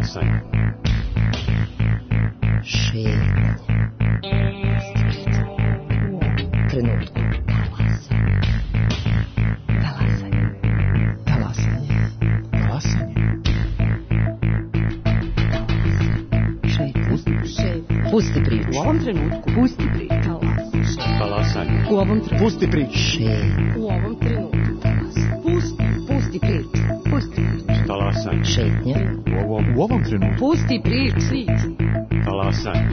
Talasanje. Šetnje. Trenutku. Talasanje. Talasanje. Talasanje. Pusti priču. U ovom trenutku. Pusti priču. Talasanje. U ovom trenutku. Pusti priču. U ovom trenutku. Pusti priču. Pusti priču. Talasanje. Šetnja. U ovom trenutku. Pusti priču. Talasanje.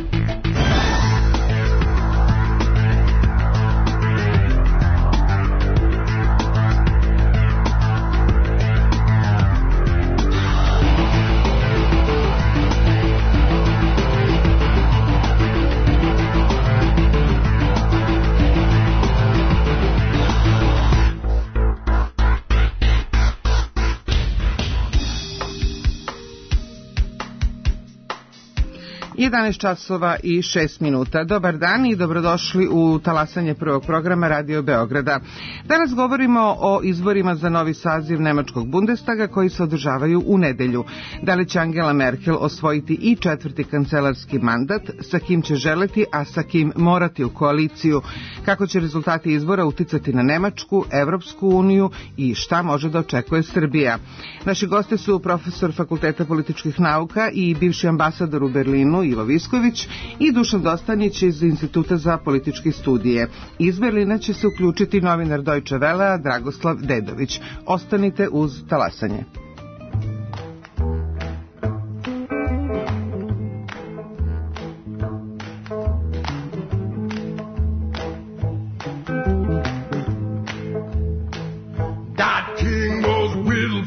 časova i 6 minuta. Dobar dan i dobrodošli u talasanje prvog programa Radio Beograda. Danas govorimo o izborima za novi saziv Nemačkog Bundestaga koji se održavaju u nedelju. Da li će Angela Merkel osvojiti i četvrti kancelarski mandat, sa kim će želeti, a sa kim morati u koaliciju, kako će rezultati izbora uticati na Nemačku, Evropsku uniju i šta može da očekuje Srbija. Naši gosti su profesor Fakulteta političkih nauka i bivši ambasador u Berlinu Ivo Visković i Dušan Dostanić iz Instituta za političke studije. Iz Berlina će se uključiti novinar Deutsche Wellea Dragoslav Dedović. Ostanite uz talasanje.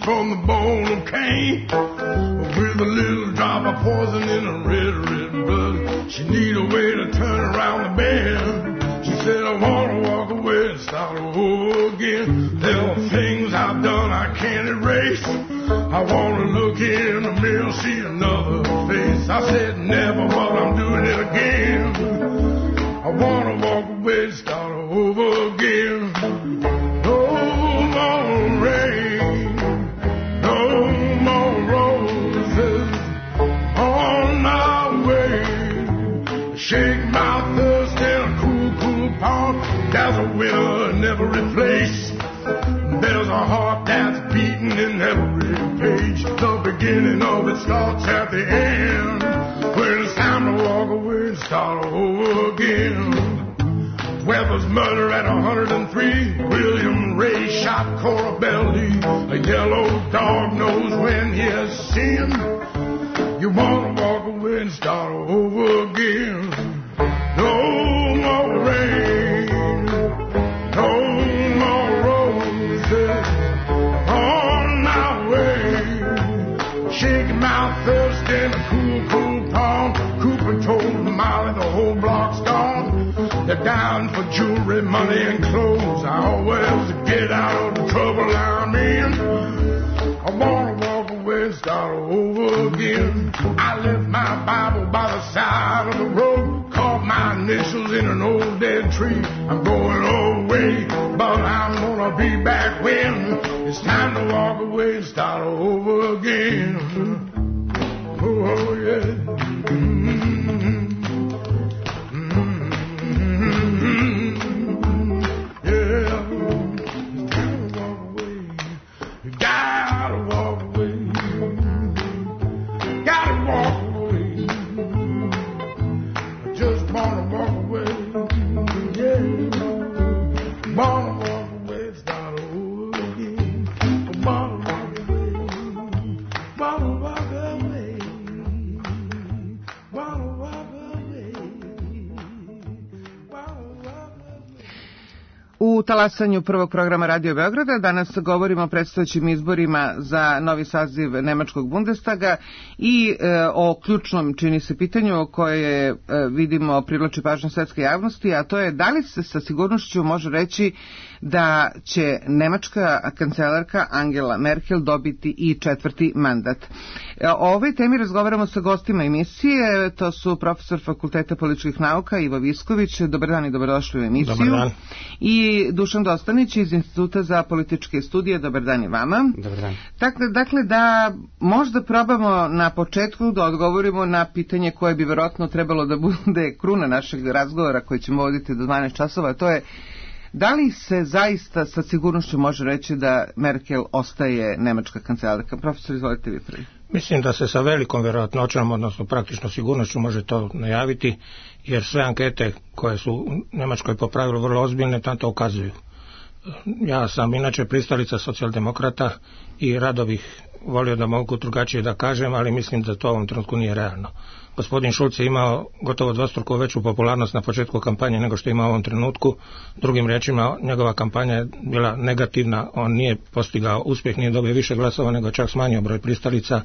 From the bone of Cain, with a little drop of poison in her red, red blood. She need a way to turn around the bend. She said, I want to walk away and start over again. There are things I've done I can't erase. I want to look in the mirror, see another face. I said, never, but I'm doing it again. I want to walk away and start over again. No more rain. Shake my thirst in a cool, cool pond. There's a winner in every place. There's a heart that's beating in every page. The beginning of it starts at the end. When it's time to walk away and start over again. Weber's murder at 103. William Ray shot Cora Belly. A yellow dog knows when he has sinned. You want to walk away and start over again. No more rain, no more roses on my way. Shaking my thirst in a cool, cool pond. Cooper told Molly the whole block's gone. They're down for jewelry, money, and clothes. I always get out of the trouble I'm in. I want to walk away and start over again. I left my Bible by the side of the road, caught my initials in an old dead tree. I'm going away, but I'm gonna be back when it's time to walk away and start over again. Oh yeah. U talasanju prvog programa Radio Beograda danas govorimo o predstojećim izborima za novi saziv Nemačkog Bundestaga i o ključnom, čini se, pitanju koje vidimo privlači pažnju svetske javnosti, a to je da li se sa sigurnošću može reći da će nemačka kancelarka Angela Merkel dobiti i četvrti mandat. O ovoj temi razgovaramo sa gostima emisije, to su profesor Fakulteta političkih nauka Ivo Visković. Dobar dan i dobrodošli u emisiju. Dobar dan. I Dušan Dostanić iz Instituta za političke studije. Dobar dan i vama. Dobar dan. Dakle, da možda probamo na početku da odgovorimo na pitanje koje bi verovatno trebalo da bude kruna našeg razgovora koji ćemo voditi do 12 časova, to je da li se zaista sa sigurnošću može reći da Merkel ostaje nemačka kancelarka? Profesor, izvolite vi prvi. Mislim da se sa velikom vjerojatnoćom, odnosno praktično sigurnošću može to najaviti, jer sve ankete koje su u Njemačkoj po pravilu vrlo ozbiljne na to ukazuju. Ja sam inače pristalica socijaldemokrata i rado bih volio da mogu drugačije da kažem, ali mislim da to u ovom trenutku nije realno. Gospodin Schulz je imao gotovo dvostruko veću popularnost na početku kampanje nego što ima u ovom trenutku. Drugim riječima, njegova kampanja je bila negativna, on nije postigao uspjeh, nije dobio više glasova, nego čak smanjio broj pristalica.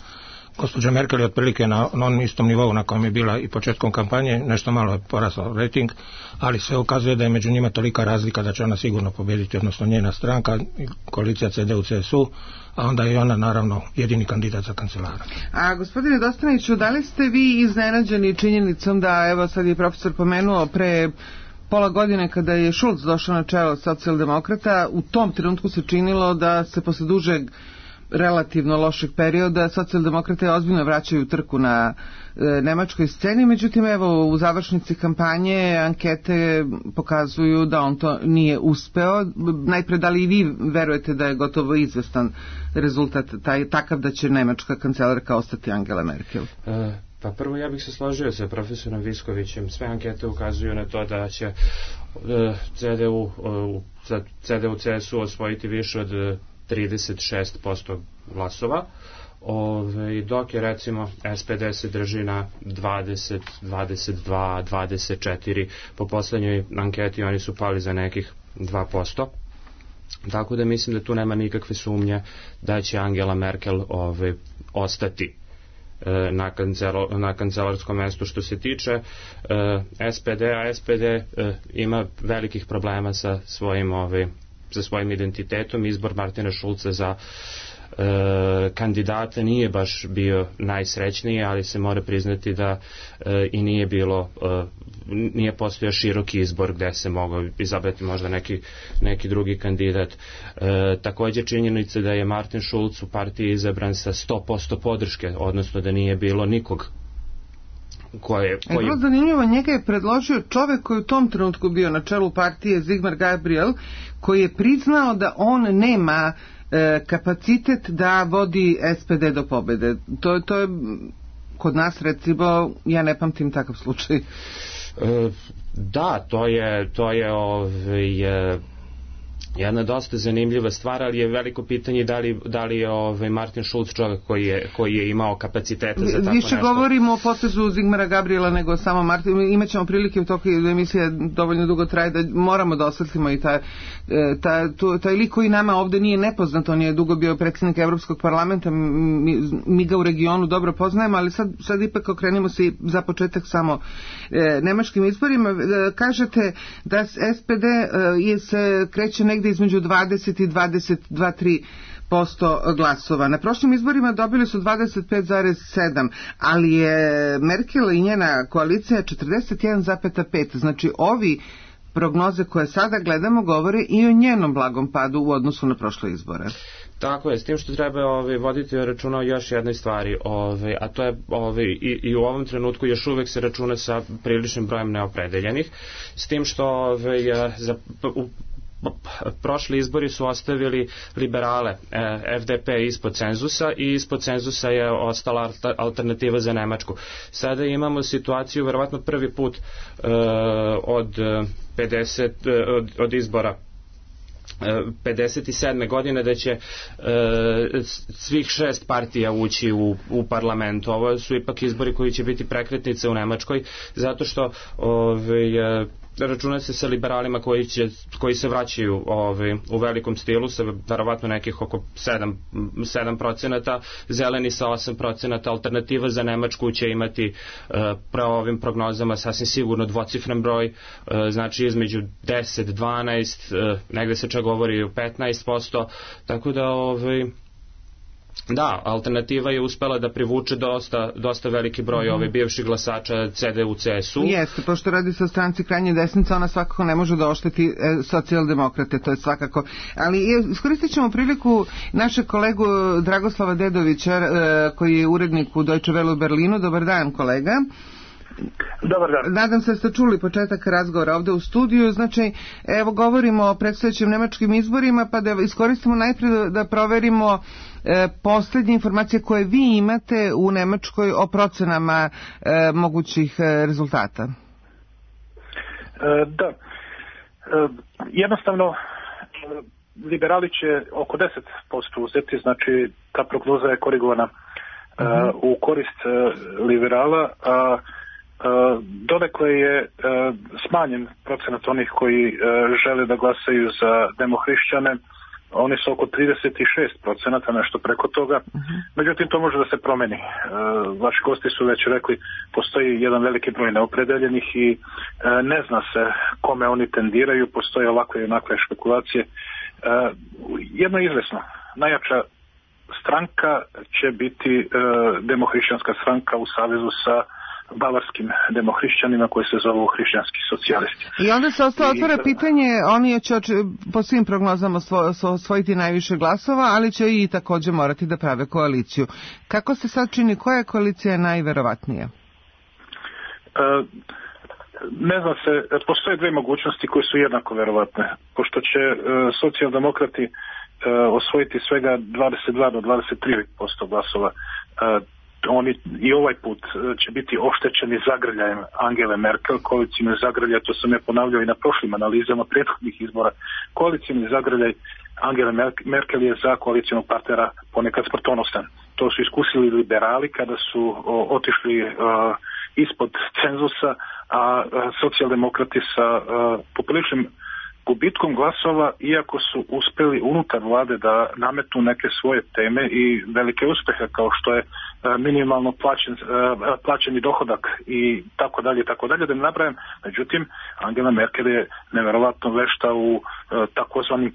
Gospođa Merkel je otprilike na onom istom nivou na kojem je bila i početkom kampanje, nešto malo je porasao rating, ali sve ukazuje da je među njima tolika razlika da će ona sigurno pobijediti, odnosno njena stranka, koalicija CDU-CSU, a onda je ona naravno jedini kandidat za kancelara. A gospodine Dostaniću, da li ste vi iznenađeni činjenicom da, evo sad je profesor pomenuo, pre pola godine kada je Schulz došao na čelo socijaldemokrata, u tom trenutku se činilo da se posle dužeg relativno lošeg perioda socijaldemokrate ozbiljno vraćaju trku na nemačkoj sceni, međutim evo u završnici kampanje ankete pokazuju da on to nije uspeo. Najpre, da li i vi verujete da je gotovo izvestan rezultat takav da će nemačka kancelarka ostati Angela Merkel? Pa prvo ja bih se složio sa profesorom Viskovićem. Sve ankete ukazuju na to da će CDU-CSU osvojiti više od 36% glasova, dok je recimo SPD se drži na 20, 22, 24, po poslednjoj anketi oni su pali za nekih 2%, tako da mislim da tu nema nikakve sumnje da će Angela Merkel ostati na kancelarskom mestu. Što se tiče SPD-a, SPD ima velikih problema sa svojim identitetom. Izbor Martina Schulza za kandidata nije baš bio najsrećniji, ali se mora priznati da i nije postojao široki izbor gde se mogao izabrati možda neki drugi kandidat. Također činjenica da je Martin Schulz u partiji izabran sa 100% podrške, odnosno da nije bilo nikog Vrlo zanimljivo, njega je predložio čovjek koji u tom trenutku bio na čelu partije, Sigmar Gabriel, koji je priznao da on nema kapacitet da vodi SPD do pobjede. To je kod nas, recimo, ja ne pamtim takav slučaj. Da, to je jedna dosta zanimljiva stvar, ali je veliko pitanje da li je Martin Schulz čovjek koji je imao kapaciteta za tako nešto. Više govorimo o potezu Sigmara Gabriela nego samo Martin. Imaćemo prilike u toku emisije dovoljno dugo traje da moramo da osvetlimo i taj lik koji nama ovde nije nepoznat. On je dugo bio predsjednik Evropskog parlamenta, mi ga u regionu dobro poznajemo, ali sad ipak okrenimo se za početak samo nemačkim izborima. Kažete da SPD se kreće negde između 20 i 22-3% glasova. Na prošlim izborima dobili su 25,7, ali je Merkel i njena koalicija 41,5. Znači ovi prognoze koje sada gledamo govore i o njenom blagom padu u odnosu na prošle izbore. Tako je, s tim što treba voditi računa o još jednoj stvari, a to je i u ovom trenutku još uvek se računa sa priličnim brojem neopredeljenih, s tim što prošli izbori su ostavili liberale FDP ispod cenzusa i ispod cenzusa je ostala alternativa za Nemačku. Sada imamo situaciju, verovatno prvi put od izbora 57. godine da će svih 6 partija ući u parlamentu. Ovo su ipak izbori koji će biti prekretnice u Nemačkoj, zato što računa se sa liberalima koji se vraćaju u velikom stilu sa verovatno nekih oko 7%, zeleni sa 8%, alternativa za Nemačku će imati pravo ovim prognozama sasvim sigurno dvocifren broj, znači između 10, 12, negde se čak govori o 15%, tako da Da, alternativa je uspela da privuče dosta veliki broj bivših glasača CDU, CSU. Jeste, pošto radi se o stranci krajnje desnice, ona svakako ne može da ošteti socijaldemokrate, to je svakako. Ali iskoristit ćemo priliku našeg kolegu Dragoslava Dedovića, koji je urednik u Deutsche Welle u Berlinu. Dobar dan, kolega. Dobar dan. Nadam se da ste čuli početak razgovora ovde u studiju. Znači, evo govorimo o predstojećim nemačkim izborima, pa da iskoristimo najprije da proverimo poslednje informacije koje vi imate u Nemačkoj o procenama mogućih rezultata. Da. Jednostavno, liberali će oko 10% uzeti, znači ta prognoza je korigovana u korist liberala, a donekle je smanjen procenat onih koji žele da glasaju za demohrišćane. Oni su oko 36%, nešto preko toga. Međutim, to može da se promeni. Vaši gosti su već rekli, postoji jedan veliki broj neopredeljenih i ne zna se kome oni tendiraju, postoje ovakve i onakve špekulacije. Jedno je izvesno, najjača stranka će biti demohrišćanska stranka u savezu sa bavarskim demohrišćanima koji se zovu hrišćanski socijalisti. I onda se otvara pitanje, oni će po svim prognozama osvojiti najviše glasova, ali će i takođe morati da prave koaliciju. Kako se sad čini, koja koalicija je najverovatnija? Ne znam se, postoje dve mogućnosti koje su jednako verovatne. Pošto će socijaldemokrati osvojiti svega 22 do 23% glasova, oni i ovaj put će biti oštećeni zagrljajem Angele Merkel, koalicijni zagrljaj, to sam je ponavljao i na prošlim analizama prethodnih izbora. Koalicijni zagrljaj Angele Merkel je za koalicijnog partnera ponekad smrtonosan. To su iskusili liberali kada su otišli ispod cenzusa, a socijaldemokrati sa popriličnim gubitkom glasova, iako su uspeli unutar vlade da nametnu neke svoje teme i velike uspehe kao što je minimalno plaćeni dohodak i tako dalje, da ne nabrajam. Međutim, Angela Merkel je neverovatno vešta u takozvanim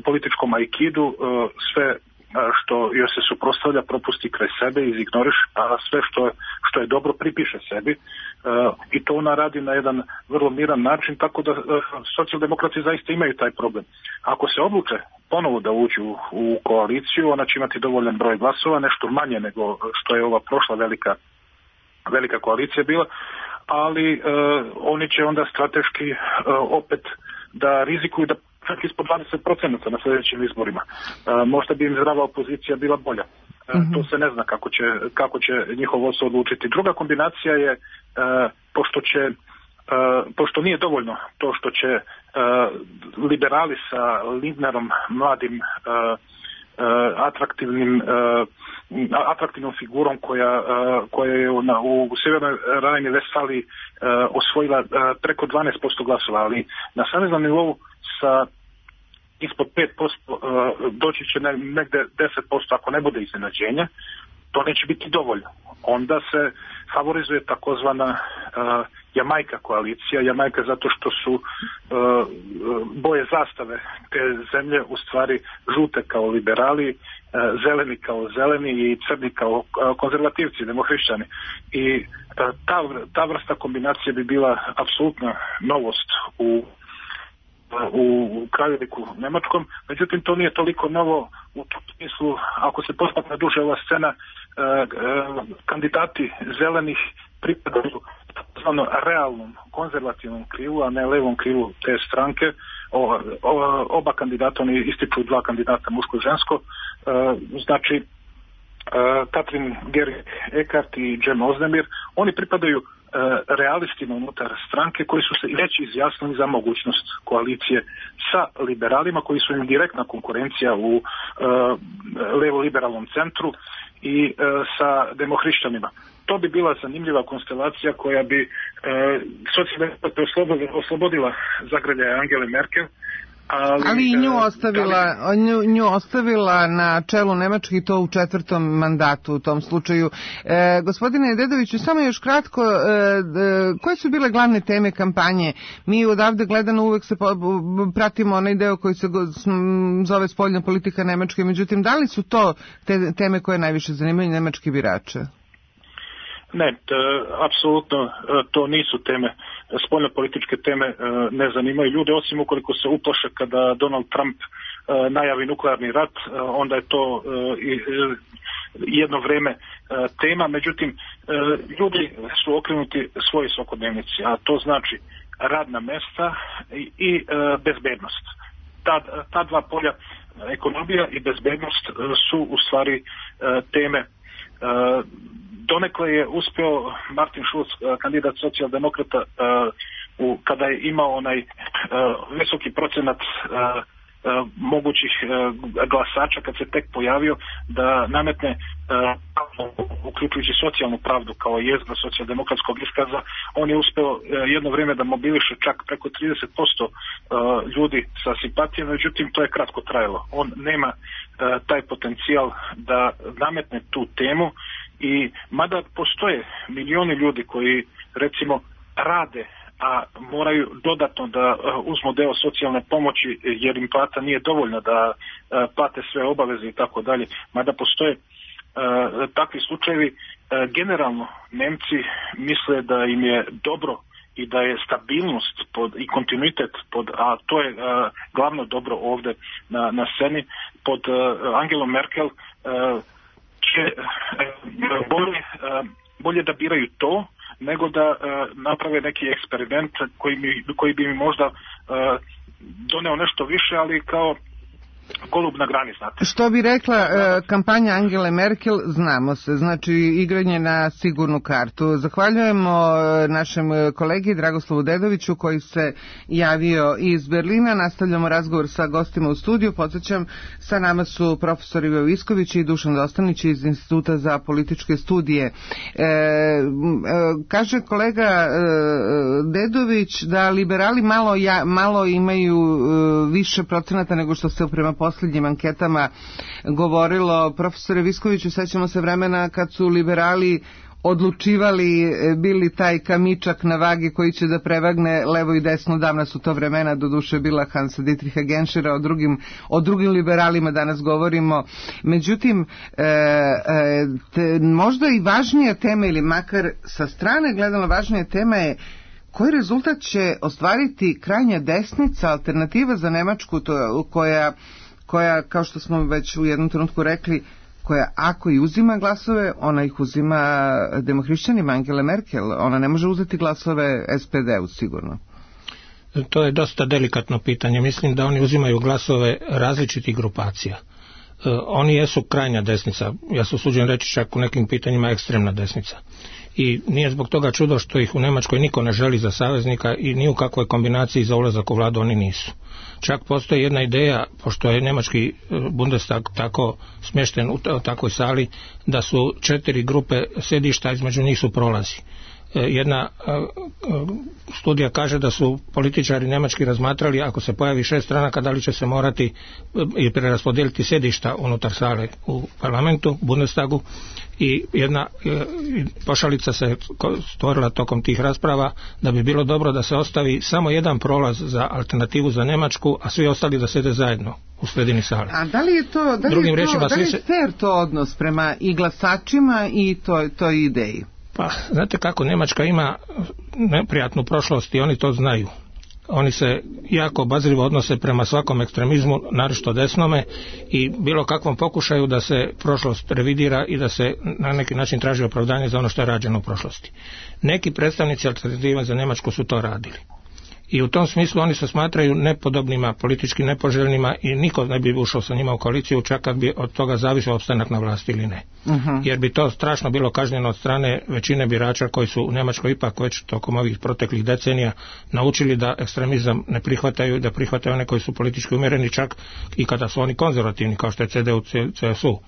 političkom aikidu, sve što joj se suprotstavlja propusti kraj sebe, izignoriš, a sve što je dobro pripiše sebi, i to ona radi na jedan vrlo miran način, tako da socijaldemokrati zaista imaju taj problem. Ako se odluče ponovo da uđu u koaliciju, ona će imati dovoljan broj glasova, nešto manje nego što je ova prošla velika koalicija bila, ali oni će onda strateški opet da rizikuju da čak ispod 20% na sljedećim izborima. Možda bi im zdrava opozicija bila bolja. To se ne zna kako će njihov vodstvo odlučiti. Druga kombinacija je, pošto nije dovoljno to što će liberali sa Lindnerom, mladim atraktivnom figurom koja je u Sjevernoj Rajni-Vestfaliji osvojila preko 12% glasova, ali na saveznom nivou sa ispod 5% doći će negde 10% ako ne bude iznenađenja. To neće biti dovoljno. Onda se favorizuje takozvana Jamajka koalicija. Jamajka zato što su boje zastave te zemlje u stvari žute kao liberali, zeleni kao zeleni i crni kao konzervativci, demohrišćani. I ta vrsta kombinacije bi bila apsolutna novost u krajoliku nemačkom, međutim to nije toliko novo u tom smislu, ako se posmatra duže ova scena, kandidati zelenih pripadaju takozvano realnom konzervativnom krilu, a ne levom krilu te stranke. Oba kandidata, oni ističu dva kandidata, muško i žensko, znači Katrin Gering-Eckardt i Cem Özdemir, oni pripadaju realistima unutar stranke koji su se već izjasnili za mogućnost koalicije sa liberalima koji su im direktna konkurencija u levo-liberalnom centru i sa demohrišćanima. To bi bila zanimljiva konstelacija koja bi socijaldemokrate oslobodila zagrljaja Angele Merkel, Ali i nju ostavila na čelu Nemačke i to u 4. mandatu u tom slučaju. Gospodine Dedoviću, samo još kratko, koje su bile glavne teme kampanje? Mi odavde gledano uvek se pratimo onaj deo koji se zove spoljna politika Nemačke, međutim, da li su to te teme koje najviše zanimaju nemačke birače? Ne, apsolutno to nisu teme. Spoljnopolitičke teme ne zanimaju ljude, osim ukoliko se uplaše kada Donald Trump najavi nuklearni rat, onda je to jedno vreme tema. Međutim, ljudi su okrenuti svojoj svakodnevnici, a to znači radna mesta i bezbednost. Ta dva polja, ekonomija i bezbednost, su u stvari teme. Donekle je uspeo Martin Schulz, kandidat socijaldemokrata, kada je imao onaj visoki procenat mogućih glasača, kad se tek pojavio, da nametne, uključujući socijalnu pravdu kao jezgra socijaldemokratskog iskaza. On je uspeo jedno vrijeme da mobiliše čak preko 30% ljudi sa simpatijom, međutim to je kratko trajalo. On nema taj potencijal da nametne tu temu, i mada postoje milioni ljudi koji recimo rade, a moraju dodatno da uzmu deo socijalne pomoći jer im plata nije dovoljna da plate sve obaveze i tako dalje, mada postoje takvi slučajevi, generalno Nemci misle da im je dobro i da je stabilnost i kontinuitet a to je glavno dobro ovdje na sceni, pod Angelom Merkel će bolje da biraju to nego da naprave neki eksperiment koji bi mi možda doneo nešto više, ali kao golub na grani, znate. Što bi rekla kampanja Angele Merkel, znamo se, znači igranje na sigurnu kartu. Zahvaljujemo našem kolegi Dragoslovu Dedoviću koji se javio iz Berlina. Nastavljamo razgovor sa gostima u studiju. Podsjećam, sa nama su profesor Ivo Visković i Dušan Dostanić iz Instituta za političke studije. Kaže kolega Dedović da liberali malo imaju više procenata nego što se prema posljednjim anketama govorilo. Profesore Viskoviću, sećamo se vremena kad su liberali odlučivali, bili taj kamičak na vagi koji će da prevagne levo i desno. Davna su to vremena, doduše bila Hansa Dietricha Genschera, o drugim liberalima danas govorimo. Međutim, možda i važnija tema, ili makar sa strane gledano važnija tema je koji rezultat će ostvariti krajnja desnica, alternativa za Nemačku, koja, kao što smo već u jednom trenutku rekli, koja ako i uzima glasove, ona ih uzima demohrišćanima Angele Merkel. Ona ne može uzeti glasove SPD-u sigurno. To je dosta delikatno pitanje. Mislim da oni uzimaju glasove različitih grupacija. Oni jesu krajnja desnica, ja se usuđujem reći čak u nekim pitanjima ekstremna desnica. I nije zbog toga čudo što ih u Njemačkoj niko ne želi za saveznika i ni u kakvoj kombinaciji za ulazak u vladu oni nisu. Čak postoji jedna ideja, pošto je njemački Bundestag tako smješten u takvoj sali, da su 4 grupe sjedišta, između njih su prolazi. Jedna studija kaže da su političari njemački razmatrali, ako se pojavi 6 stranaka, da li će se morati i preraspodijeliti sjedišta unutar sale u parlamentu, Bundestagu, i jedna pošalica se stvorila tokom tih rasprava da bi bilo dobro da se ostavi samo jedan prolaz za alternativu za Njemačku, a svi ostali da sjede zajedno u sredini sale. A da li je fair to odnos prema i glasačima i toj ideji? Pa, znate kako, Njemačka ima neprijatnu prošlost i oni to znaju. Oni se jako obazrivo odnose prema svakom ekstremizmu, naročito desnome, i bilo kakvom pokušaju da se prošlost revidira i da se na neki način traži opravdanje za ono što je rađeno u prošlosti. Neki predstavnici alternativa za Njemačku su to radili. I u tom smislu oni se smatraju nepodobnima, politički nepoželjnima i niko ne bi ušao sa njima u koaliciju, čak kad bi od toga zavisio opstanak na vlasti ili ne. Jer bi to strašno bilo kažnjeno od strane većine birača koji su u Njemačkoj ipak već tokom ovih proteklih decenija naučili da ekstremizam ne prihvataju, da prihvataju one koji su politički umjereni, čak i kada su oni konzervativni, kao što je CDU, CSU.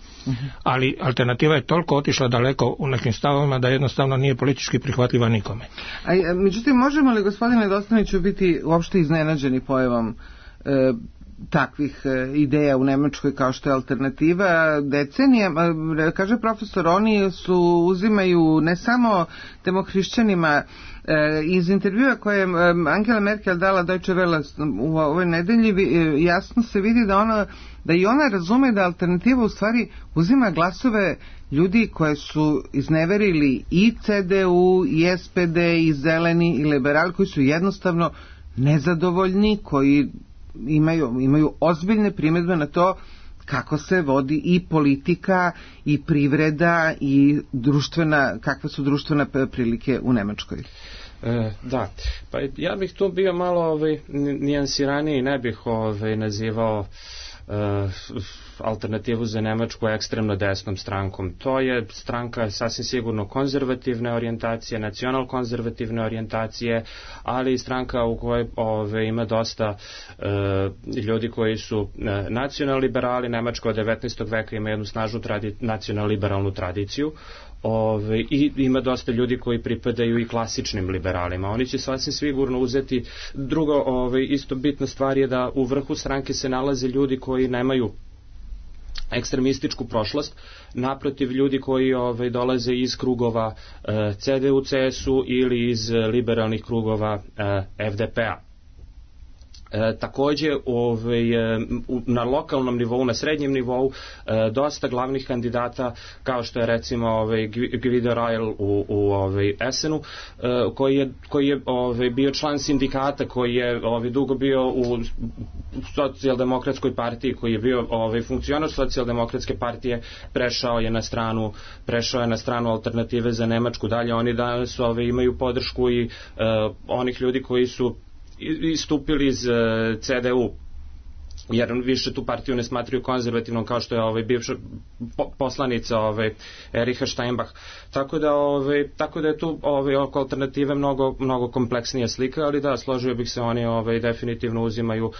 Ali alternativa je toliko otišla daleko u nekim stavovima da jednostavno nije politički prihvatljiva nikome. Međutim, možemo li, gospodine Dostaniću, biti uopšte iznenađeni pojavom takvih ideja u Nemačkoj kao što je Alternativa decenijama. Kaže profesor, oni uzimaju ne samo demohrišćanima. Iz intervjua koje je Angela Merkel dala Deutsche Welle u ovoj nedelji jasno se vidi da i ona razume da Alternativa u stvari uzima glasove ljudi koje su izneverili i CDU, i SPD, i Zeleni, i liberali, koji su jednostavno nezadovoljni, koji imaju ozbiljne primjedbe na to kako se vodi i politika i privreda i kakve su društvene prilike u Nemačkoj. Da, pa ja bih tu bio malo nijansiraniji, ne bih nazivao Alternativu za Nemačku ekstremno desnom strankom. To je stranka sasvim sigurno konzervativne orijentacije, nacional-konzervativne orijentacije, ali i stranka u kojoj ima dosta ljudi koji su nacional-liberali. Nemačka od 19. veka ima jednu snažnu nacional-liberalnu tradiciju. I ima dosta ljudi koji pripadaju i klasičnim liberalima. Oni će sasvim sigurno uzeti. Drugo, isto bitna stvar je da u vrhu stranke se nalaze ljudi koji nemaju ekstremističku prošlost, naprotiv ljudi koji dolaze iz krugova CDU, CSU ili iz liberalnih krugova FDP-a. Takođe na lokalnom nivou, na srednjem nivou dosta glavnih kandidata kao što je recimo Guido Reil u Essenu koji je bio član sindikata, koji je dugo bio u socijaldemokratskoj partiji, koji je bio funkcionar socijaldemokratske partije, prešao je na stranu Alternative za Nemačku. Dalje oni danas imaju podršku i onih ljudi koji su istupili iz CDU, jer više tu partiju ne smatraju konzervativnom, kao što je bivša poslanica Ericha Steinbach. Tako da je tu oko Alternative mnogo kompleksnija slika, ali da, složio bih se, oni definitivno uzimaju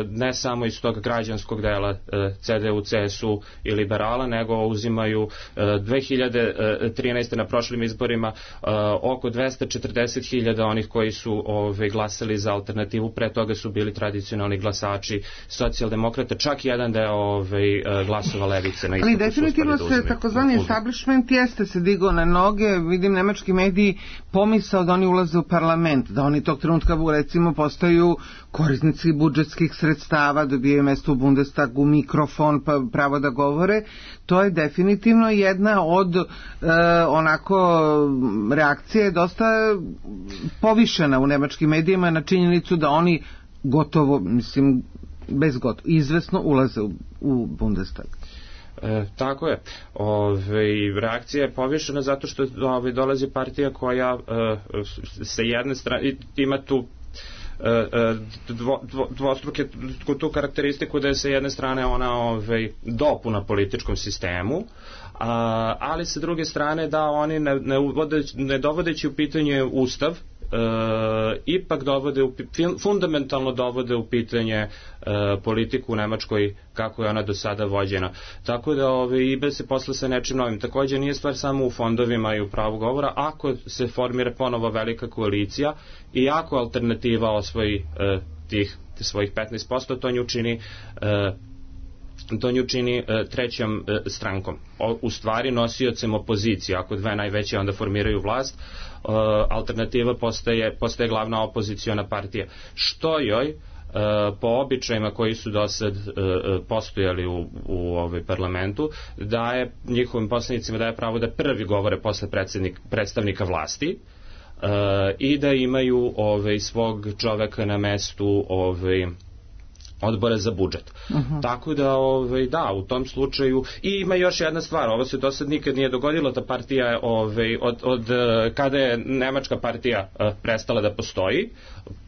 ne samo iz tog građanskog dela CDU, CSU i liberala, nego uzimaju 2013. na prošlim izborima oko 240.000 onih koji su glasali za Alternativu. Pre toga su bili tradicionalni glasači socijaldemokrata, čak jedan deo glasova levice na istoku. Ali definitivno se takozvani establishment jeste se digao na noge. Vidim nemački mediji pomisao da oni ulaze u parlament, da oni tog trenutka recimo postaju korisnici budžetskih sredstava, dobijaju mesto u Bundestagu, mikrofon, pa pravo da govore. To je definitivno jedna od reakcije dosta povišena u nemačkim medijima na činjenicu da oni gotovo, izvesno ulaze u Bundestag. Tako je. Reakcija je povišena zato što dolazi partija koja sa jedne strane ima tu dvostruke tu karakteristiku da je sa jedne strane ona dopuna političkom sistemu, ali sa druge strane da oni ne dovodeći u pitanje Ustav, ipak fundamentalno dovode u pitanje politiku u Nemačkoj kako je ona do sada vođena. Tako da ibe se posle sa nečim novim. Također nije stvar samo u fondovima i u pravu govora. Ako se formira ponovo velika koalicija i ako Alternativa osvoji tih svojih 15%, to nju čini trećom strankom. U stvari nosiocem opozicije. Ako dve najveće onda formiraju vlast, Alternativa postaje glavna opoziciona partija. Što joj po običajima koji su do sad postojali u parlamentu, daje njihovim poslanicima daje pravo da prvi govore posle predstavnika vlasti i da imaju svog čoveka na mestu odbora za budžet. Tako da, da, u tom slučaju. I ima još jedna stvar, ovo se do sad nikad nije dogodilo, ta partija od kada je nemačka partija prestala da postoji,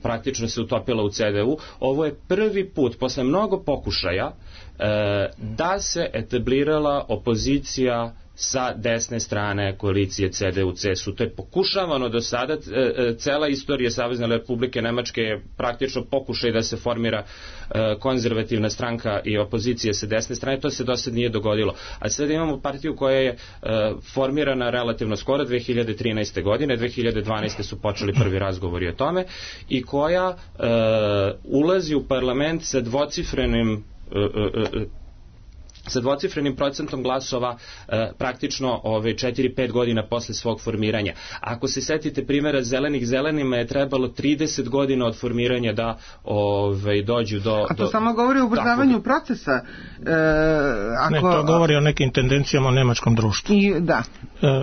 praktično se utopila u CDU, ovo je prvi put, posle mnogo pokušaja, da se etablirala opozicija sa desne strane koalicije CDU-CSU. To je pokušavano do sada, cela istorija Savezne Republike Nemačke je praktično pokušaj da se formira konzervativna stranka i opozicija sa desne strane, to se do sad nije dogodilo. A sada imamo partiju koja je formirana relativno skoro, 2013. godine, 2012. su počeli prvi razgovori o tome, i koja ulazi u parlament sa dvocifrenim procentom glasova praktično 4-5 godina posle svog formiranja. Ako se setite primjera zelenih, zelenima je trebalo 30 godina od formiranja da dođu do... A to samo govori o ubrzavanju procesa. Ne, to govori o nekim tendencijama u nemačkom društvu. Da.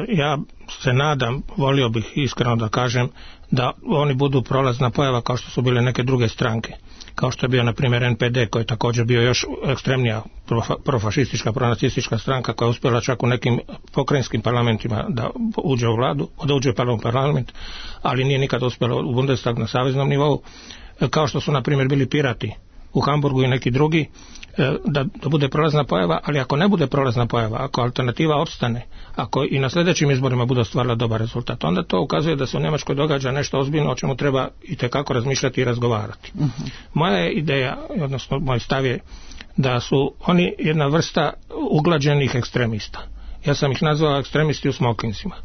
Ja se nadam, volio bih iskreno da kažem, da oni budu prolazna pojava kao što su bile neke druge stranke. Kao što je bio, na primjer, NPD, koji je također bio još ekstremnija profašistička, pronacistička stranka, koja je uspjela čak u nekim pokrajinskim parlamentima da uđe u vladu, da uđe u parlament, ali nije nikada uspjela u Bundestag na saveznom nivou, kao što su, na primjer, bili Pirati u Hamburgu i neki drugi, da bude prolazna pojava, ali ako ne bude prolazna pojava, ako alternativa opstane, ako i na sljedećim izborima bude ostvarila dobar rezultat, onda to ukazuje da se u Njemačkoj događa nešto ozbiljno o čemu treba itekako razmišljati i razgovarati. Moja je ideja, odnosno moj stav je da su oni jedna vrsta uglađenih ekstremista. Ja sam ih nazvao ekstremisti u smokinsima.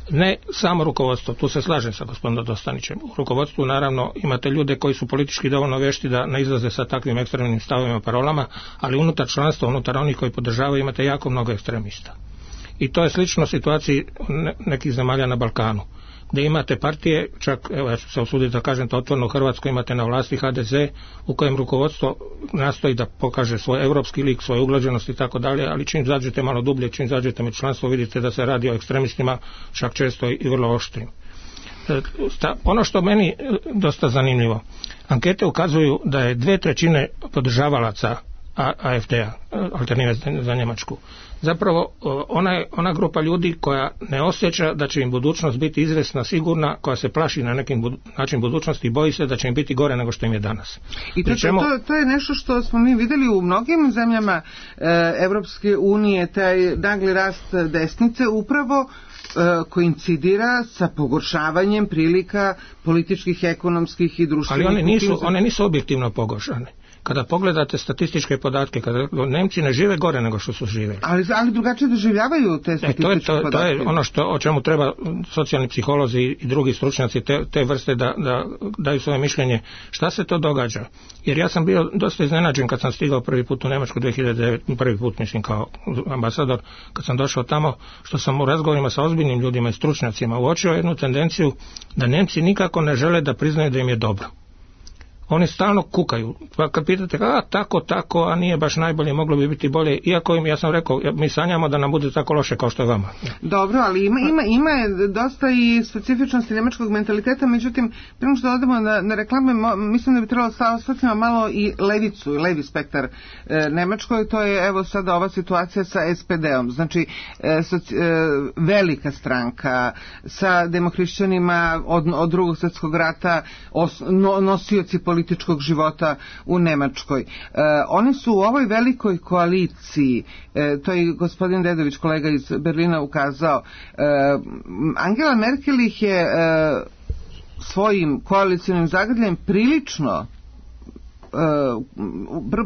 Ne samo rukovodstvo, tu se slažem sa gospodinom Dostanićem. U rukovodstvu naravno imate ljude koji su politički dovoljno vešti da ne izlaze sa takvim ekstremnim stavovima, parolama, ali unutar članstva, unutar onih koji podržavaju, imate jako mnogo ekstremista. I to je slično situaciji nekih zemalja na Balkanu, gdje imate partije, čak, evo ja ću se usuditi da kažem to otvoreno, u Hrvatskoj imate na vlasti HDZ, u kojem rukovodstvo nastoji da pokaže svoj europski lik, svoju uglađenost i tako dalje, ali čim zađete malo dublje, čim zađete među članstvo, vidite da se radi o ekstremistima, čak često i vrlo oštrim. Ono što meni dosta zanimljivo, ankete ukazuju da je 2/3 podržavalaca AfD-a, Alternative za Njemačku, zapravo ona grupa ljudi koja ne osjeća da će im budućnost biti izvesna, sigurna, koja se plaši na neki način budućnosti i boji se da će im biti gore nego što im je danas. I to je nešto što smo mi vidjeli u mnogim zemljama Evropske unije, taj nagli rast desnice upravo koincidira sa pogoršavanjem prilika političkih, ekonomskih i društvenih. Ali one nisu objektivno pogoršane. Kada pogledate statističke podatke, kada Nemci ne žive gore nego što su živjeli. Ali drugačije doživljavaju te statističke podatke. To je ono o čemu treba socijalni psiholozi i drugi stručnjaci te vrste da daju svoje mišljenje. Šta se to događa? Jer ja sam bio dosta iznenađen kad sam stigao prvi put u Njemačku 2009, prvi put mislim kao ambasador, kad sam došao tamo, što sam u razgovorima sa ozbiljnim ljudima i stručnjacima uočio jednu tendenciju da Nemci nikako ne žele da priznaju da im je dobro. Oni stalno kukaju, pa kad pitate tako, a nije baš najbolje, moglo bi biti bolje, iako ja sam rekao, mi sanjamo da nam bude tako loše kao što je vama. Dobro, ali ima dosta i specifičnosti njemačkog mentaliteta, međutim, prema što odemo na reklame, mislim da bi trebalo ostati malo i levicu, i levi spektar Nemačkoj, to je evo sada ova situacija sa SPD-om, znači velika stranka sa demohrišćanima od drugog svjetskog rata, nosioci političkog života u Nemačkoj. Oni su u ovoj velikoj koaliciji, to je gospodin Dedović, kolega iz Berlina, ukazao, Angela Merkel ih je svojim koalicijnim zagrljem prilično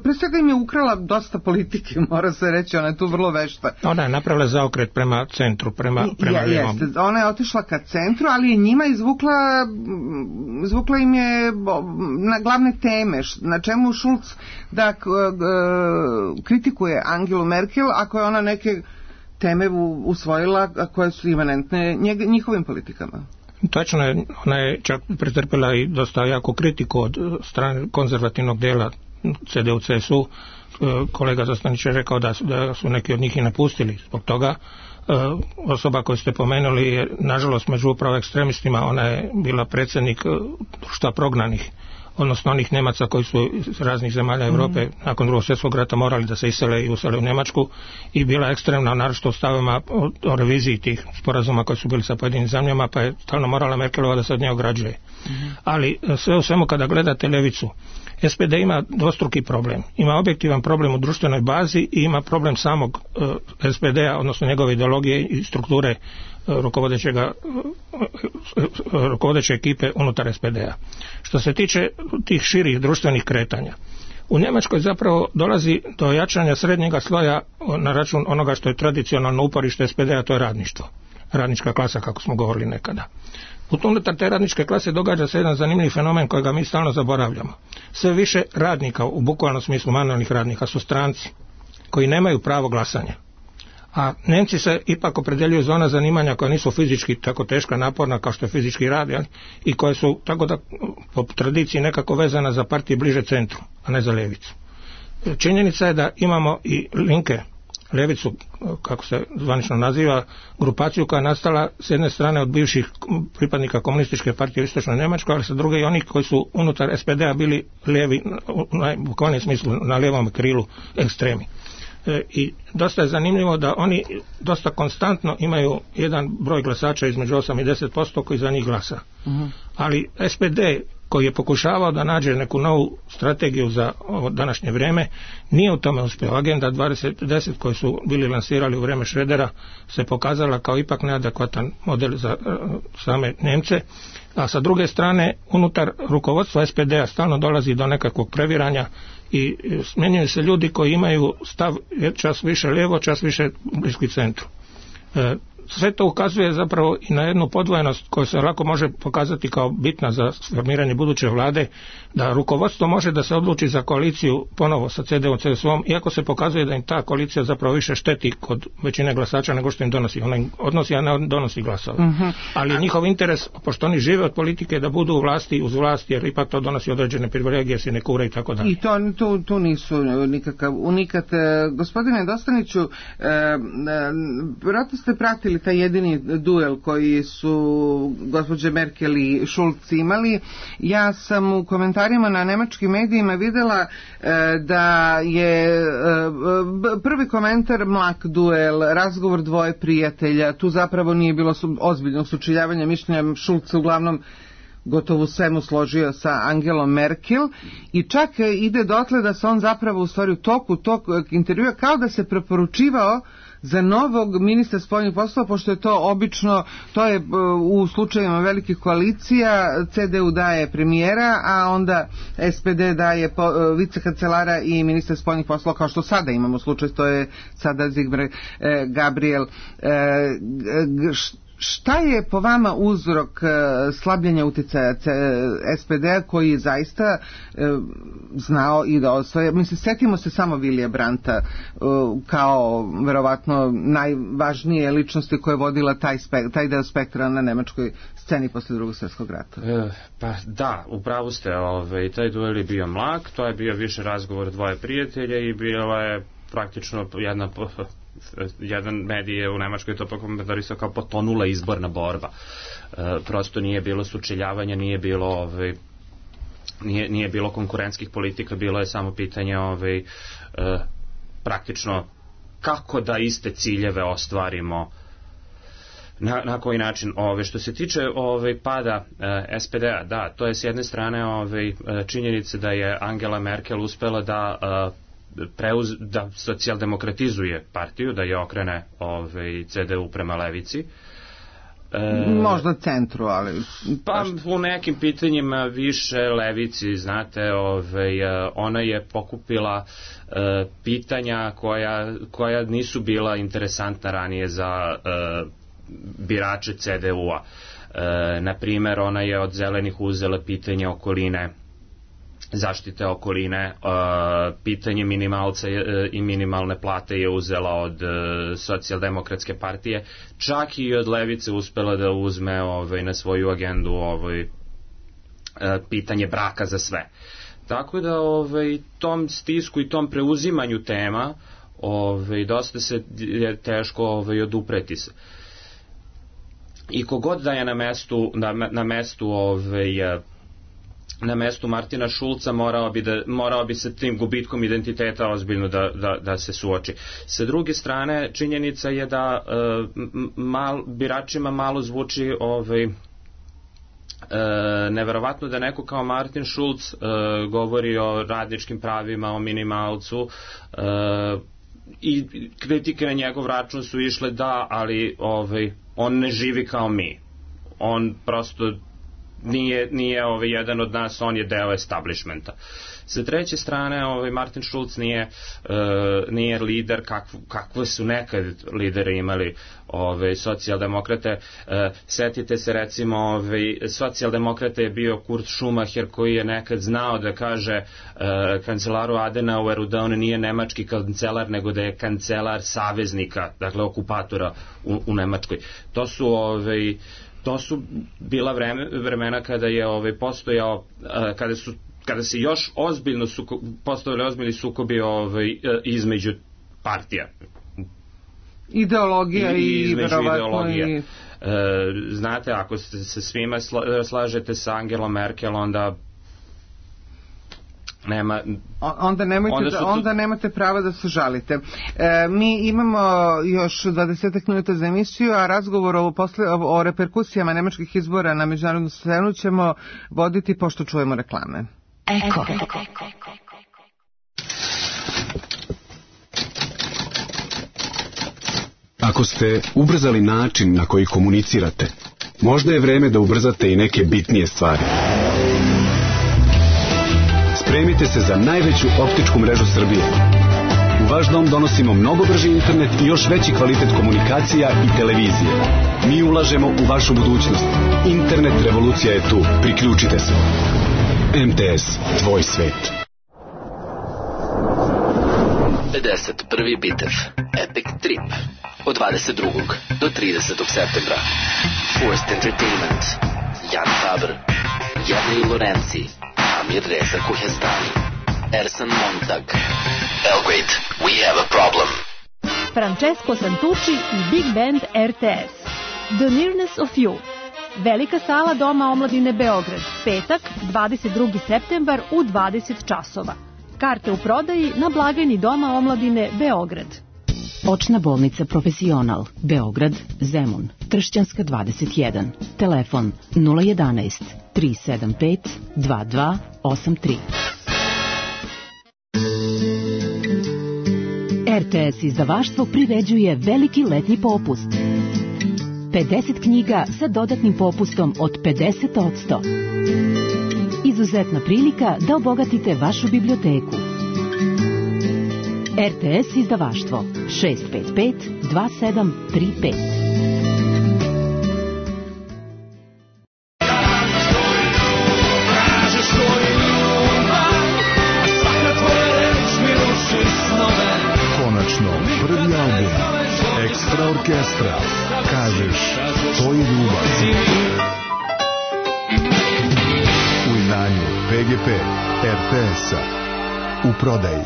pre svega im je ukrala dosta politike, mora se reći, ona je tu vrlo vešta. Ona je napravila zaokret prema centru, prema jeste, ona je otišla ka centru, ali je njima izvukla im je na glavne teme, na čemu Schulz da kritikuje Angelu Merkel ako je ona neke teme usvojila koje su imanentne njihovim politikama. Točno je, ona je čak pretrpila i dosta jako kritiku od strane konzervativnog dela CDU-CSU. Kolega Dostanić je rekao da su neki od njih i napustili zbog toga. Osoba koju ste pomenuli je, nažalost, među upravo ekstremistima, ona je bila predsjednik društva prognanih, odnosno onih Nemaca koji su iz raznih zemalja Europe nakon Drugog svjetskog rata morali da se isele i usele u Njemačku, i bila ekstremna, naročito u stavima o reviziji tih sporazuma koji su bili sa pojedinim zemljama, pa je stalno morala Merkelova da se od nje ograđuje. Ali sve u svemu, kada gledate ljevicu, SPD ima dvostruki problem. Ima objektivan problem u društvenoj bazi i ima problem samog SPD-a, odnosno njegove ideologije i strukture rukovodeće ekipe unutar SPD-a. Što se tiče tih širih društvenih kretanja, u Njemačkoj zapravo dolazi do jačanja srednjega sloja na račun onoga što je tradicionalno uporište SPD-a, to je radništvo. Radnička klasa, kako smo govorili nekada. Unutar te radničke klase događa se jedan zanimljiv fenomen kojega mi stalno zaboravljamo. Sve više radnika, u bukvalnom smislu manualnih radnika, su stranci koji nemaju pravo glasanja. A Nemci se ipak opredjeljuju za ona zanimanja koja nisu fizički tako teška, naporna kao što je fizički rad, i koje su tako da po tradiciji nekako vezana za partije bliže centru, a ne za ljevicu. Činjenica je da imamo i Linke, ljevicu, kako se zvanično naziva, grupaciju koja je nastala s jedne strane od bivših pripadnika komunističke partije u Istočnoj Njemačkoj, ali sa druge i onih koji su unutar SPD-a bili lijevi, u najbukvalnijem smislu na lijevom krilu ekstremi. I dosta je zanimljivo da oni dosta konstantno imaju jedan broj glasača između 8 i 10% koji za njih glasa. Ali SPD, koji je pokušavao da nađe neku novu strategiju za ovo današnje vrijeme, nije u tome uspio. Agenda 2010 koji su bili lansirali u vrijeme Šredera se pokazala kao ipak neadekvatan model za same Nemce, a sa druge strane unutar rukovodstva SPD-a stalno dolazi do nekakvog previranja i smjenjuju se ljudi koji imaju stav čas više lijevo, čas više bliski centru. Sve to ukazuje zapravo i na jednu podvojenost koja se lako može pokazati kao bitna za formiranje buduće vlade, da rukovodstvo može da se odluči za koaliciju ponovo sa CDU-om, CSU-om, iako se pokazuje da im ta koalicija zapravo više šteti kod većine glasača nego što im donosi. Ona im odnosi, a ne donosi glasove. Ali njihov interes, pošto oni žive od politike, da budu u vlasti uz vlast, jer ipak to donosi određene privilegije, sinekure i tako dalje. I to nisu nikakav unikat. Gospodine Dostaniću, vjerojatno ste pratili taj jedini duel koji su gospođe Merkel i Schulz imali. Ja sam u komentarima na nemačkim medijima vidjela da je prvi komentar mlak duel, razgovor dvoje prijatelja, tu zapravo nije bilo ozbiljnog sučeljavanja mišljenja. Schulz uglavnom gotovo svemu složio sa Angelom Merkel i čak ide dotle da se on zapravo u stvari u toku tog intervjua kao da se preporučivao za novog ministra spoljnih poslova, pošto je to obično, to je u slučajevima velikih koalicija, CDU daje premijera, a onda SPD daje vicekancelara i ministra spoljnih poslova, kao što sada imamo slučaj, to je sada Sigmar Gabriel. Šta je po vama uzrok slabljenja utjecaja SPD-a koji je zaista znao i da osvoje? Mislim, setimo se samo Vilija Brandta kao verovatno najvažnije ličnosti koja je vodila taj deo spektra na nemačkoj sceni posle Drugog svjetskog rata. Pa da, upravo ste, taj duel je bio mlak, to je bio više razgovor dvoje prijatelja i bila je praktično jedan medij je u Nemačkoj to komentarisao kao potonula izborna borba. Prosto nije bilo sučeljavanja, nije bilo konkurentskih politika, bilo je samo pitanje praktično kako da iste ciljeve ostvarimo, na koji način. Što se tiče pada SPD-a, da, to je s jedne strane činjenica da je Angela Merkel uspela da socijaldemokratizuje partiju, da je okrene CDU prema levici. Možda centru, ali pa u nekim pitanjima više levici, znate, ona je pokupila pitanja koja nisu bila interesantna ranije za birače CDU-a. Na primjer, ona je od zelenih uzela pitanje okoline, zaštite okoline, pitanje minimalca i minimalne plate je uzela od socijaldemokratske partije, čak i od levice uspela da uzme na svoju agendu pitanje braka za sve. Tako da tom stisku i tom preuzimanju tema dosta se je teško odupreti se. I kogod da je na mestu Martina Schulza morao bi sa tim gubitkom identiteta ozbiljno da se suoči. Sa druge strane, činjenica je da biračima malo zvuči neverovatno da neko kao Martin Schulz govori o radničkim pravima, o minimalcu, i kritike na njegov račun su išle da, ali on ne živi kao mi. On prosto nije jedan od nas, on je deo establishmenta. Sa treće strane, Martin Schulz nije lider kakve su nekad lideri imali socijaldemokrate. Setite se recimo, socijaldemokrate je bio Kurt Schumacher, koji je nekad znao da kaže kancelaru Adenaueru da on nije nemački kancelar, nego da je kancelar saveznika, dakle okupatora u Nemačkoj. To su bila vremena kada je postojao, kada se još ozbiljno postojali ozbiljni sukobi između partija. Ideologija i verovatno i... Znate, ako se svima slažete sa Angelom Merkel, onda nema... Onda nemate prava da se žalite. Mi imamo još 20 minuta za emisiju, a razgovor o reperkusijama nemačkih izbora na međunarodnu scenu ćemo voditi pošto čujemo reklame. Eko. Ako ste ubrzali način na koji komunicirate, možda je vreme da ubrzate i neke bitnije stvari. Spremite se za najveću optičku mrežu Srbije. U vaš dom donosimo mnogo brži internet i još veći kvalitet komunikacija i televizije. Mi ulažemo u vašu budućnost. Internet revolucija je tu. Priključite se. MTS, tvoj svet. 51. bitev Epic Trip od 22. do 30. septembra. Forced Entertainment, Jan Faber, Jernej Lorenzi, Amir Reza Kuhestani, Ersan Montag. Belgrade, we have a problem. Francesco Santucci i Big Band RTS. The Nearness of You. Velika sala Doma omladine Beograd. Petak, 22. septembar u 20 časova. Karte u prodaji na blagajni Doma omladine Beograd. Očna bolnica Profesional, Beograd, Zemun, Tršćanska 21. Telefon 011 375 2283. RTS izdavaštvo priređuje veliki letnji popust. 50 knjiga sa dodatnim popustom od 50%. Izuzetna prilika da obogatite vašu biblioteku. RTS izdavaštvo 655 2735. Konačno, prvi album Ekstra orkestra. Kažeš, to je ljubav. U izdanju PGP RTS-a. U prodaji.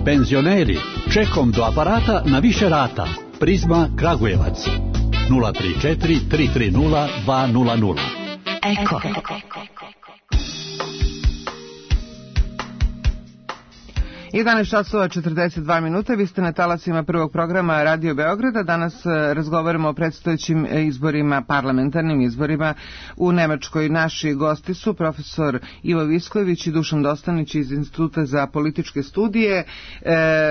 Penzioneri, čekom do aparata na više rata. Prizma Kragujevac 034 330 200. Eko. 11 časova 42 minuta, vi ste na talasima prvog programa Radio Beograda. Danas razgovaramo o predstojećim izborima, parlamentarnim izborima u Nemačkoj. Naši gosti su profesor Ivo Viskojević i Dušan Dostanić iz Instituta za političke studije.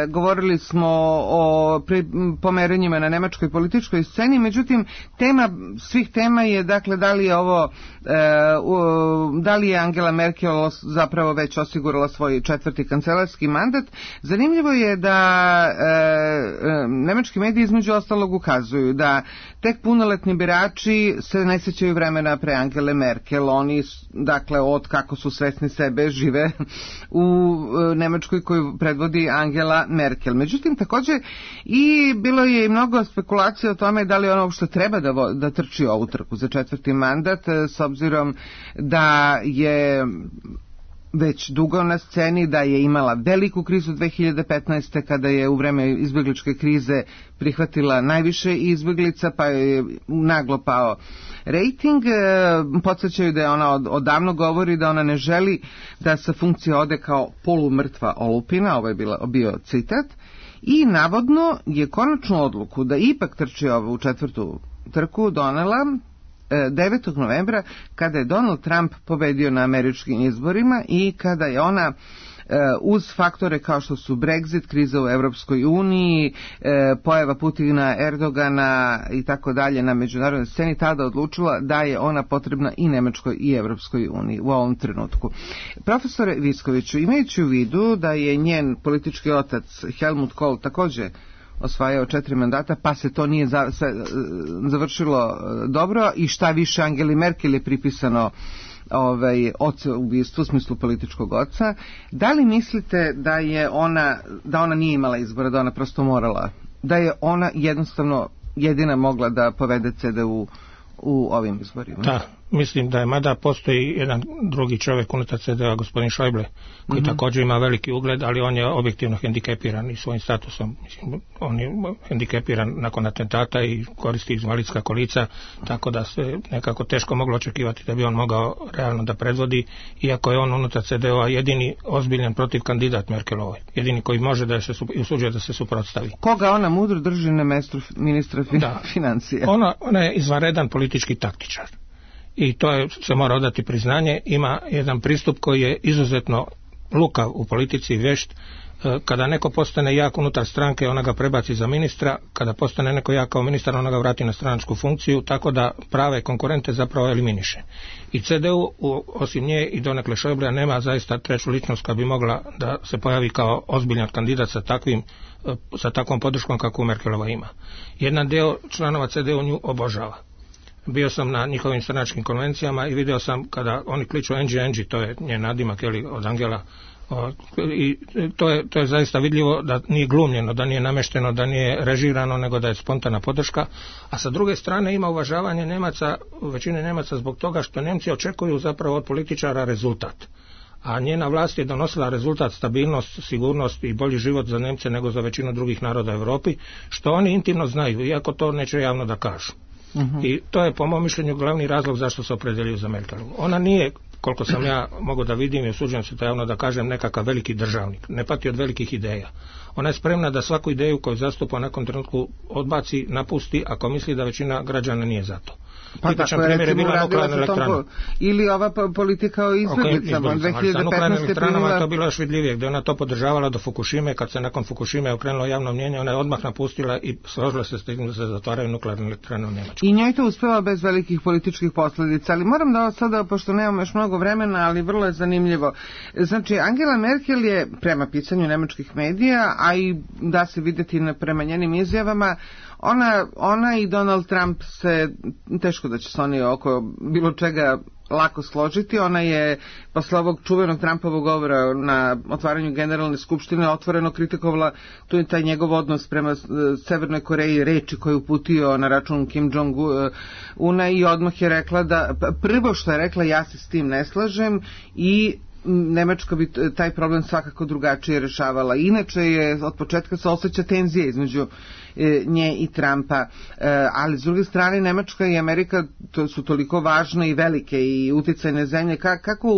Govorili smo o pomeranjima na nemačkoj političkoj sceni, međutim tema svih tema je dakle da li je Angela Merkel zapravo već osigurala svoj četvrti kancelarski mandat. Zanimljivo je da nemački mediji između ostalog ukazuju da tek punoletni birači se ne sjećaju vremena pre Angele Merkel. Oni, dakle, od kako su svesni sebe, žive u Nemačkoj koju predvodi Angela Merkel. Međutim, također i bilo je i mnogo spekulacija o tome da li ona uopšte treba da trči ovu trku za četvrti mandat, s obzirom da je već dugo na sceni, da je imala veliku krizu 2015. kada je u vreme izbjegličke krize prihvatila najviše izbjeglica, pa je naglo pao rejting. Podsjećaju da je ona odavno govori da ona ne želi da sa funkcije ode kao polumrtva olupina, ovo je bio citat, i navodno je konačnu odluku da ipak trči ovu četvrtu trku donela 9. novembra kada je Donald Trump pobedio na američkim izborima i kada je ona uz faktore kao što su Brexit, kriza u Evropskoj uniji, pojava Putina, Erdogana i tako dalje na međunarodnoj sceni, tada odlučila da je ona potrebna i Nemačkoj i Evropskoj uniji u ovom trenutku. Profesore Viskoviću, imajući u vidu da je njen politički otac Helmut Kohl također osvajao 4 mandata, pa se to nije završilo dobro i šta više Angeli Merkel je pripisano oca ubistvu, u smislu političkog oca. Da li mislite da ona nije imala izbora, da ona prosto morala, da je ona jednostavno jedina mogla da povede CDU u ovim izborima? Da, mislim da je, mada postoji jedan drugi čovjek unutar CDU-a, gospodin Schäuble, koji također ima veliki ugled, ali on je objektivno hendikepiran i svojim statusom. Mislim, on je hendikepiran nakon atentata i koristi invalidska kolica, tako da se nekako teško moglo očekivati da bi on mogao realno da predvodi, iako je on unutar CDU-a jedini ozbiljan protiv kandidat Merkelovoj, jedini koji može da se usuđuje da se suprotstavi. Koga ona mudro drži na mjestu ministra financija? Ona je izvanredan politički taktičar. I to se mora odati priznanje, ima jedan pristup koji je izuzetno lukav u politici i vešt. Kada neko postane jak unutar stranke, ona ga prebaci za ministra, kada postane neko jak kao ministar, ona ga vrati na stranačku funkciju, tako da prave konkurente zapravo eliminiše. I CDU, osim nje i donekle Schäublea, nema zaista treću ličnost koja bi mogla da se pojavi kao ozbiljan kandidat sa takvom podrškom kakvu Merkelova ima. Jedan deo članova CDU nju obožava. Bio sam na njihovim stranačkim konvencijama i vidio sam kada oni kliču Angie, to je njen nadimak od Angela, i to je zaista vidljivo da nije glumljeno, da nije namešteno, da nije režirano, nego da je spontana podrška. A sa druge strane ima uvažavanje Nemaca, većine Nemaca, zbog toga što Nemci očekuju zapravo od političara rezultat. A njena vlast je donosila rezultat, stabilnost, sigurnost i bolji život za Nemce nego za većinu drugih naroda u Europi, što oni intimno znaju, iako to neće javno da kažu. I to je po mom mišljenju glavni razlog zašto se opredeljuju za Merkelovu. Ona nije, koliko sam ja mogu da vidim i osuđujem se to javno da kažem, nekakav veliki državnik, ne pati od velikih ideja. Ona je spremna da svaku ideju koju zastupa u nekom trenutku odbaci, napusti, ako misli da većina građana nije za to. Pa tako je recimo uradila ili ova politika o izbjeglicama 2015. Sa nuklearnim elektranama to bilo još vidljivije, gdje ona to podržavala do Fukushime, kad se nakon Fukushime okrenulo javno mnjenje, ona je odmah napustila i složila se s tim da se zatvaraju nuklearne elektrane u Njemačkoj. I njoj to uspjeva bez velikih političkih posljedica, ali moram da sada, pošto nemam još mnogo vremena, ali vrlo je zanimljivo. Znači, Angela Merkel je, prema pisanju nemačkih medija, a i da se vidjeti prema njenim izjavama, ona i Donald Trump se, teško da će se oni oko bilo čega lako složiti. Ona je posle ovog čuvenog Trumpovog govora na otvaranju generalne skupštine otvoreno kritikovala tu i taj njegov odnos prema Severnoj Koreji, reči koje je uputio na račun Kim Jong-una i odmah je rekla da, prvo što je rekla, ja se s tim ne slažem i Nemačka bi taj problem svakako drugačije rešavala. Inače je od početka se osjeća tenzija između nje i Trumpa, ali s druge strane Nemačka i Amerika to su toliko važne i velike i uticajne zemlje. Kako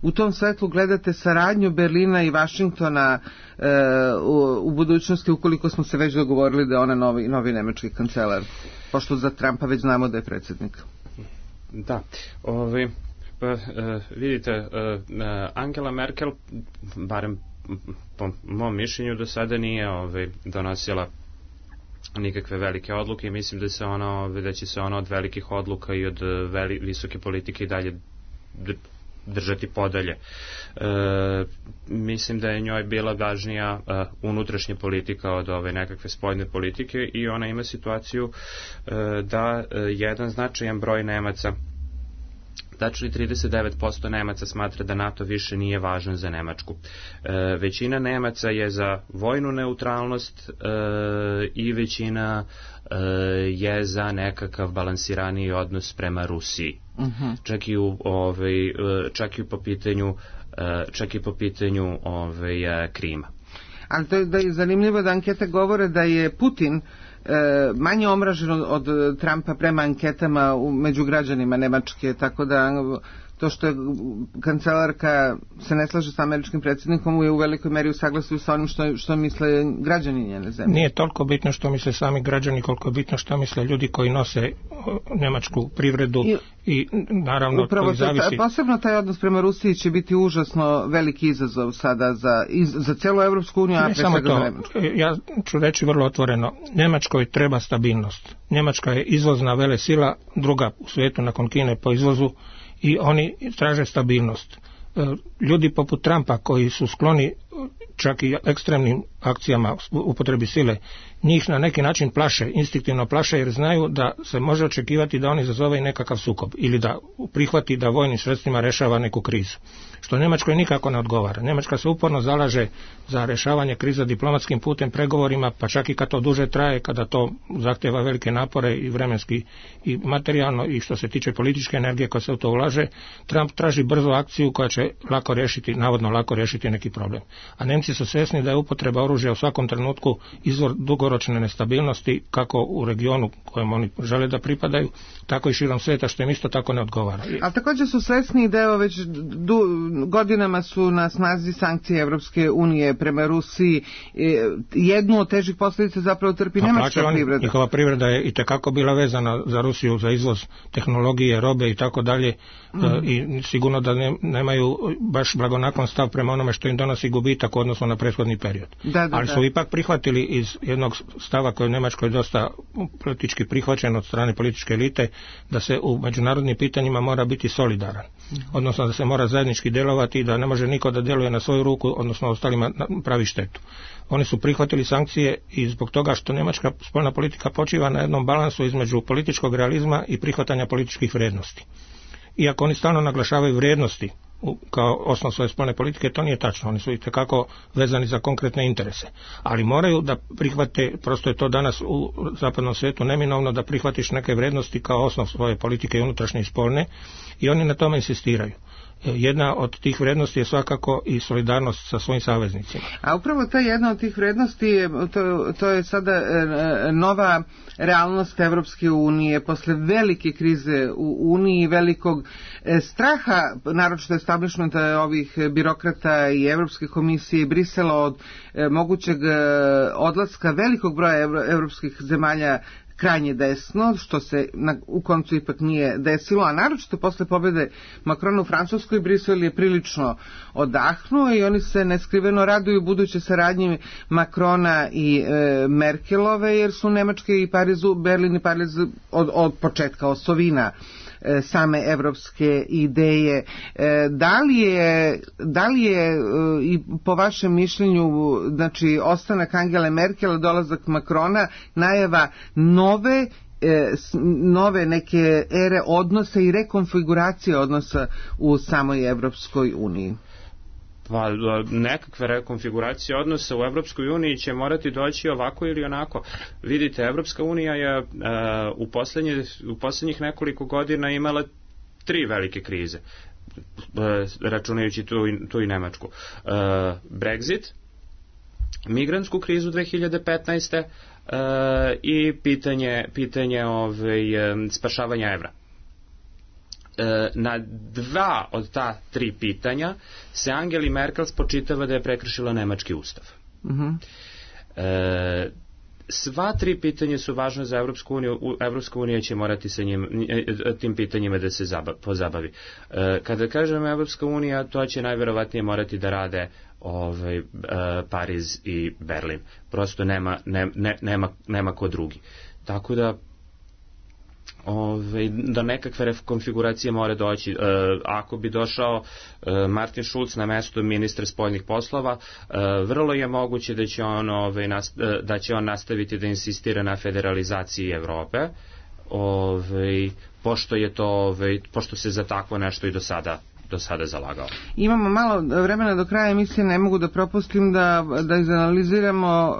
u tom svetlu gledate saradnju Berlina i Vašingtona u budućnosti, ukoliko smo se već dogovorili da je ona novi nemački kancelar, pošto za Trumpa već znamo da je predsjednik? Da, vidite, Angela Merkel, barem po mom mišljenju, do sada nije donosila nikakve velike odluke i mislim da će se ona od velikih odluka i od visoke politike i dalje držati podalje. Mislim da je njoj bila važnija unutrašnja politika od ove nekakve spoljne politike i ona ima situaciju da jedan značajan broj Nemaca, tačni 39% Nemaca smatra da NATO više nije važan za Nemačku. Većina Nemaca je za vojnu neutralnost i većina je za nekakav balansiraniji odnos prema Rusiji. Čak i po pitanju Krima. Ali to je zanimljivo da ankete govore da je Putin manje omražen od Trumpa prema anketama među građanima Nemačke, tako da to što je kancelarka se ne slaže sa američkim predsjednikom je u velikoj meri u saglasju sa onim što misle građani njene zemlje. Nije toliko bitno što misle sami građani, koliko je bitno što misle ljudi koji nose nemačku privredu i naravno upravo to zavisi. Posebno taj odnos prema Rusiji će biti užasno veliki izazov sada za cijelu Evropsku uniju, a pre svega za Nemačku. Ja ću reći vrlo otvoreno, Nemačkoj treba stabilnost. Njemačka je izvozna velesila, druga u svijetu nakon Kine po izvozu, i oni traže stabilnost. Ljudi poput Trumpa koji su skloni čak i ekstremnim akcijama upotrebi sile, njih na neki način plaše, instinktivno plaše, jer znaju da se može očekivati da on izazove i nekakav sukob ili da prihvati da vojnim sredstvima rešava neku krizu. Što Njemačkoj nikako ne odgovara. Njemačka se uporno zalaže za rešavanje kriza diplomatskim putem, pregovorima, pa čak i kad to duže traje, kada to zahtjeva velike napore i vremenski i materijalno, i što se tiče političke energije koja se u to ulaže. Trump traži brzu akciju koja će lako riješiti, navodno lako riješiti neki problem. A Nemci su svjesni da je upotreba oružja u svakom trenutku izvor dugoročne nestabilnosti, kako u regionu kojem oni žele da pripadaju, tako i širom svijeta, što im isto tako ne odgovara. Ali također su svjesni da evo već godinama su na snazi sankcije Evropske unije prema Rusiji. Jednu od težih posljedica zapravo trpi nemačka privreda. Njihova privreda je itekako bila vezana za Rusiju, za izvoz tehnologije, robe i tako dalje, i sigurno da nemaju baš blagonaklon stav prema onome što im donosi gubitak u odnosu na prethodni period. Ali su ipak prihvatili iz jednog stava koji je u Njemačkoj dosta politički prihvaćen od strane političke elite, da se u međunarodnim pitanjima mora biti solidaran. Odnosno da se mora zajednički djelovati i da ne može niko da djeluje na svoju ruku, odnosno ostalima pravi štetu. Oni su prihvatili sankcije i zbog toga što njemačka spoljna politika počiva na jednom balansu između političkog realizma i prihvatanja političkih vrijednosti. Iako oni stalno naglašavaju vrijednosti kao osnov svoje spoljne politike, to nije tačno. Oni su itekako vezani za konkretne interese. Ali moraju da prihvate, prosto je to danas u zapadnom svijetu neminovno, da prihvatiš neke vrijednosti kao osnov svoje politike i unutrašnje i spoljne, i oni na tome insistiraju. Jedna od tih vrijednosti je svakako i solidarnost sa svojim saveznicima. A upravo ta jedna od tih vrijednosti to je sada nova realnost Evropske unije posle velike krize u Uniji, velikog straha, naročito establishmenta ovih birokrata i Evropske komisije i Brisela od mogućeg odlaska velikog broja evropskih zemalja krajnje desno, što se u koncu ipak nije desilo, a naročito posle pobjede Macrona u Francuskoj, Brisel je prilično odahnuo i oni se neskriveno raduju buduće saradnje Macrona i Merkelove, jer su Nemačke i Berlin i Pariz od početka osovina same evropske ideje. Da li je i po vašem mišljenju, znači ostanak Angele Merkel, dolazak Macrona, najava nove neke ere odnosa i rekonfiguracije odnosa u samoj Evropskoj uniji? Pa nekakve rekonfiguracije odnosa u Evropskoj uniji će morati doći ovako ili onako. Vidite, Evropska unija je u posljednjih nekoliko godina imala 3 velike krize, računajući tu i Nemačku. Brexit, migrantsku krizu 2015. I pitanje spašavanja evra. Na 2 od ta 3 pitanja se Angeli Merkel spočitava da je prekršila nemački ustav. Sva 3 pitanja su važna za Evropsku uniju. Evropska unija će morati sa tim pitanjima da se pozabavi. Kada kažem Evropska unija, to će najverovatnije morati da rade Pariz i Berlin. Prosto nema ko drugi. Tako da do nekakve konfiguracije mora doći. Ako bi došao Martin Schulz na mesto ministra spoljnih poslova, vrlo je moguće da će on nastaviti da insistira na federalizaciji Evrope, pošto se za takvo nešto i do sada zalagao. Imamo malo vremena do kraja emisije, ne mogu da propustim da izanaliziramo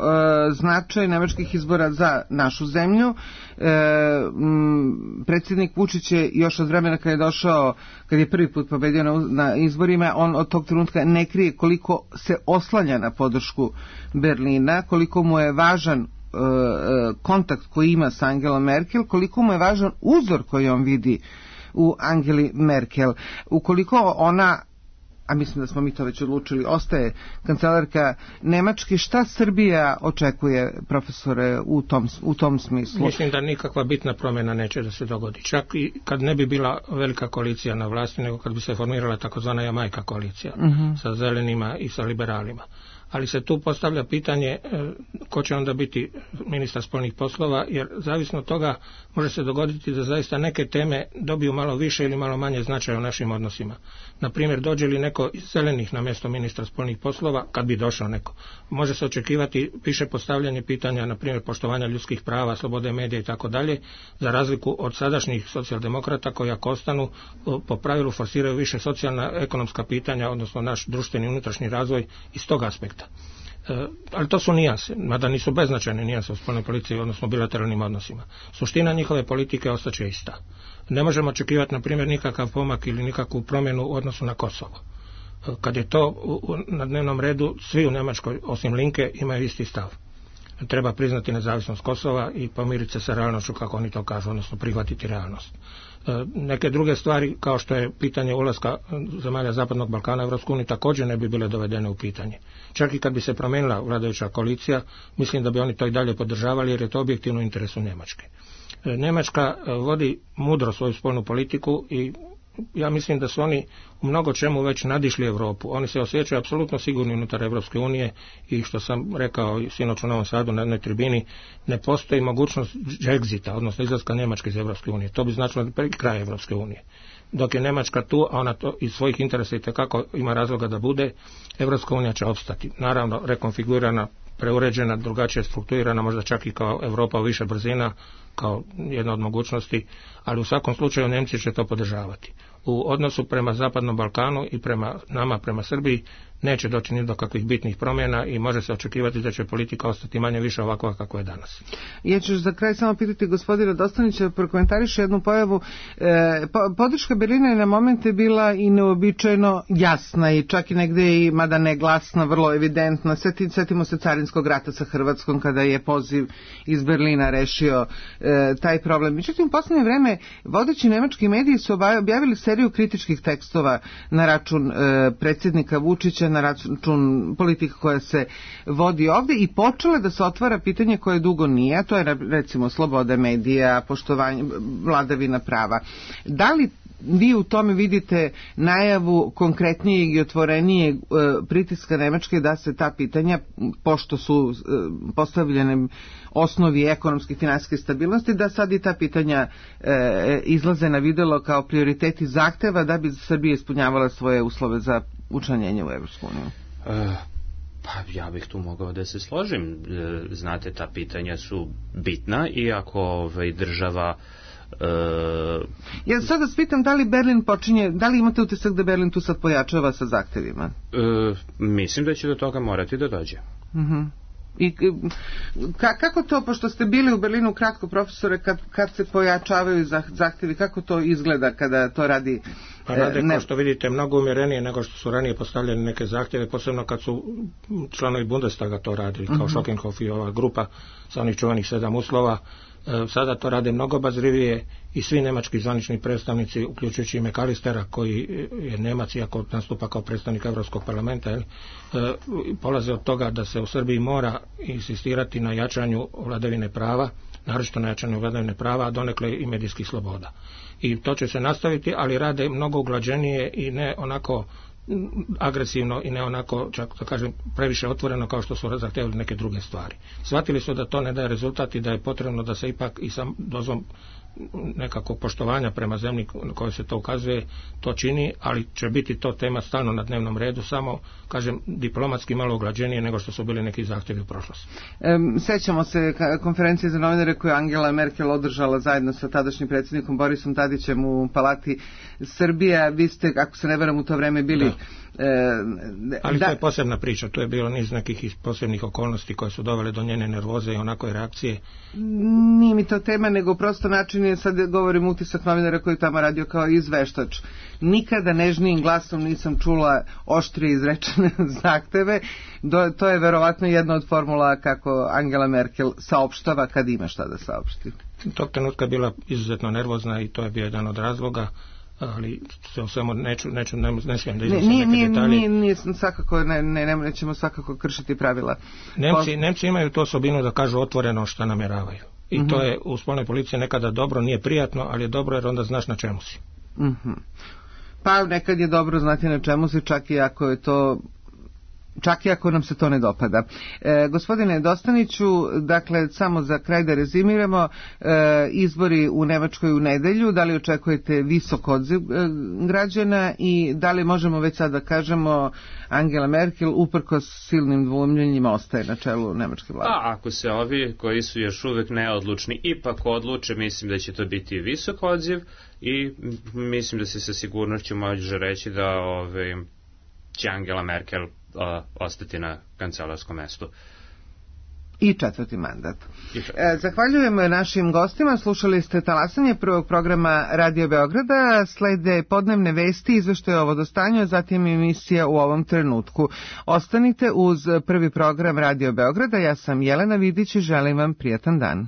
značaj nemačkih izbora za našu zemlju. Predsjednik Vučić je još od vremena kad je došao, kad je prvi put pobedio na izborima, on od tog trenutka ne krije koliko se oslanja na podršku Berlina, koliko mu je važan kontakt koji ima sa Angelom Merkel, koliko mu je važan uzor koji on vidi u Angeli Merkel. Ukoliko ona, a mislim da smo mi to već odlučili, ostaje kancelarka Nemačke, šta Srbija očekuje, profesore, u tom smislu? Mislim da nikakva bitna promjena neće da se dogodi. Čak i kad ne bi bila velika koalicija na vlasti, nego kad bi se formirala takozvana Jamajka koalicija sa zelenima i sa liberalima. Ali se tu postavlja pitanje ko će onda biti ministar spoljnih poslova, jer zavisno od toga može se dogoditi da zaista neke teme dobiju malo više ili malo manje značaja u našim odnosima. Na primjer, dođe li neko iz zelenih na mjesto ministra spoljnih poslova, kad bi došao neko, može se očekivati više postavljanje pitanja, na primjer poštovanja ljudskih prava, slobode medija i tako dalje, za razliku od sadašnjih socijaldemokrata koji ako ostanu po pravilu forsiraju više socijalna, ekonomska pitanja, odnosno naš društveni unutrašnji razvoj iz tog aspekta. Ali to su nijanse, mada nisu beznačajne nijanse u spoljnoj politici, odnosno bilateralnim odnosima. Suština njihove politike ostaće ista. Ne možemo očekivati, na primjer, nikakav pomak ili nikakvu promjenu u odnosu na Kosovo. Kad je to na dnevnom redu, svi u Njemačkoj, osim Linke, imaju isti stav. Treba priznati nezavisnost Kosova i pomiriti se sa realnošću, kako oni to kažu, odnosno prihvatiti realnost. Neke druge stvari, kao što je pitanje ulaska zemalja Zapadnog Balkana u Europsku uniju, također ne bi bile dovedene u pitanje. Čak i kad bi se promijenila vladajuća koalicija, mislim da bi oni to i dalje podržavali, jer je to objektivno u interesu Njemačke. Njemačka vodi mudro svoju spoljnu politiku i ja mislim da su oni u mnogo čemu već nadišli Europu. Oni se osjećaju apsolutno sigurni unutar Europske unije i što sam rekao sinoć u Novom Sadu na jednoj tribini, ne postoji mogućnost Exita, odnosno izlaska Njemačke iz Europske unije. To bi značilo kraj Europske unije. Dok je Njemačka tu, a ona to iz svojih interesa itekako ima razloga da bude, Europska unija će opstati. Naravno, rekonfigurirana, preuređena, drugačije strukturirana, možda čak i kao Europa u više brzina, kao jedna od mogućnosti, ali u svakom slučaju Nemci će to podržavati. U odnosu prema Zapadnom Balkanu i prema nama, prema Srbiji, neće doći ni do kakvih bitnih promjena i može se očekivati da će politika ostati manje više ovakva kako je danas. Ja ću za kraj samo pitati gospodina Dostanića, prokomentariše jednu pojavu. Podrška Berlina je na momente bila i neobičajno jasna i čak i negdje i mada ne glasna, vrlo evidentna. Setimo se carinskog rata sa Hrvatskom kada je poziv iz Berlina rešio taj problem. Međutim, u posljednje vreme vodeći nemački mediji su objavili seriju kritičkih tekstova na račun predsjednika Vučića, na račun politika koja se vodi ovdje i počele da se otvara pitanje koje dugo nije, a to je recimo sloboda medija, poštovanje, vladavina prava. Da li vi u tome vidite najavu konkretnijeg i otvorenijeg pritiska Nemačke da se ta pitanja, pošto su postavljene osnovi ekonomske i finansijske stabilnosti, da sad i ta pitanja izlaze na videlo kao prioriteti zahteva da bi Srbija ispunjavala svoje uslove za učlanjenje u Evropsku uniju? Pa ja bih tu mogao da se složim. Znate, ta pitanja su bitna i ako država ja sad vas pitam da li Berlin počinje, da li imate utisak da Berlin tu sad pojačava sa zahtevima? Mislim da će do toga morati da dođe. I kako to, pošto ste bili u Berlinu kratko, profesore, kad se pojačavaju zahtevi, kako to izgleda kada to radi? Pa rade, kao što vidite, mnogo umjerenije nego što su ranije postavljene neke zahtjeve, posebno kad su članovi Bundestaga to radili, kao Schockenhof i ova grupa sa onih čuvanih 7 uslova. Sada to rade mnogo obazrivije i svi nemački zvanični predstavnici, uključujući i McAllistera, koji je Nemac iako nastupa kao predstavnik Europskog parlamenta, polaze od toga da se u Srbiji mora insistirati na jačanju vladavine prava, naročito na jačanju vladavine prava, a donekle i medijskih sloboda. I to će se nastaviti, ali rade mnogo uglađenije i ne onako agresivno i ne onako, čak da kažem, previše otvoreno kao što su zahtjevali neke druge stvari. Shvatili su da to ne daje rezultat i da je potrebno da se ipak i sam dozvom nekakvog poštovanja prema zemlji koje se to ukazuje, to čini, ali će biti to tema stalno na dnevnom redu, samo, kažem, diplomatski malo uglađenije nego što su bili neki zahtjevi u prošlosti. Sećamo se konferencije za novinare koju Angela Merkel održala zajedno sa tadašnjim predsjednikom Borisom Tadićem u Palati Srbija. Vi ste, ako se ne varam, u to vreme bili Ali to je posebna priča, to je bilo niz nekih posebnih okolnosti koje su dovele do njene nervoze i onakoj reakcije. Nije mi to tema, nego prosto način je, sad govorim utisak novinara koji tamo radio kao izveštač. Nikada nežnijim glasom nisam čula oštrije izrečene zahteve. To je verovatno jedna od formula kako Angela Merkel saopštava kad ima šta da saopšti. Tog trenutka je bila izuzetno nervozna i to je bio jedan od razloga, ali se o svemu ne smijem da iznosim neke detalje. Nije svakako, nećemo svakako kršiti pravila. Nemci imaju tu osobinu da kažu otvoreno šta namjeravaju. I to je u spoljnoj policiji nekada dobro, nije prijatno, ali je dobro jer onda znaš na čemu si. Pa nekad je dobro znati na čemu si, čak i ako nam se to ne dopada. Gospodine Dostaniću, dakle, samo za kraj da rezimiramo, izbori u Nemačkoj u nedelju, da li očekujete visok odziv građana i da li možemo već sad da kažemo Angela Merkel uprkos silnim dvoumljenjima ostaje na čelu nemačke vlade? Ako se ovi koji su još uvek neodlučni ipak odluče, mislim da će to biti visok odziv i mislim da se sa sigurnošću može reći da će Angela Merkel ostati na kancelarskom mestu. I četvrti mandat. Zahvaljujemo našim gostima. Slušali ste talasanje prvog programa Radio Beograda. Slede podnevne vesti, izveštaje o vodostanju, zatim emisija U ovom trenutku. Ostanite uz prvi program Radio Beograda. Ja sam Jelena Vidić i želim vam prijatan dan.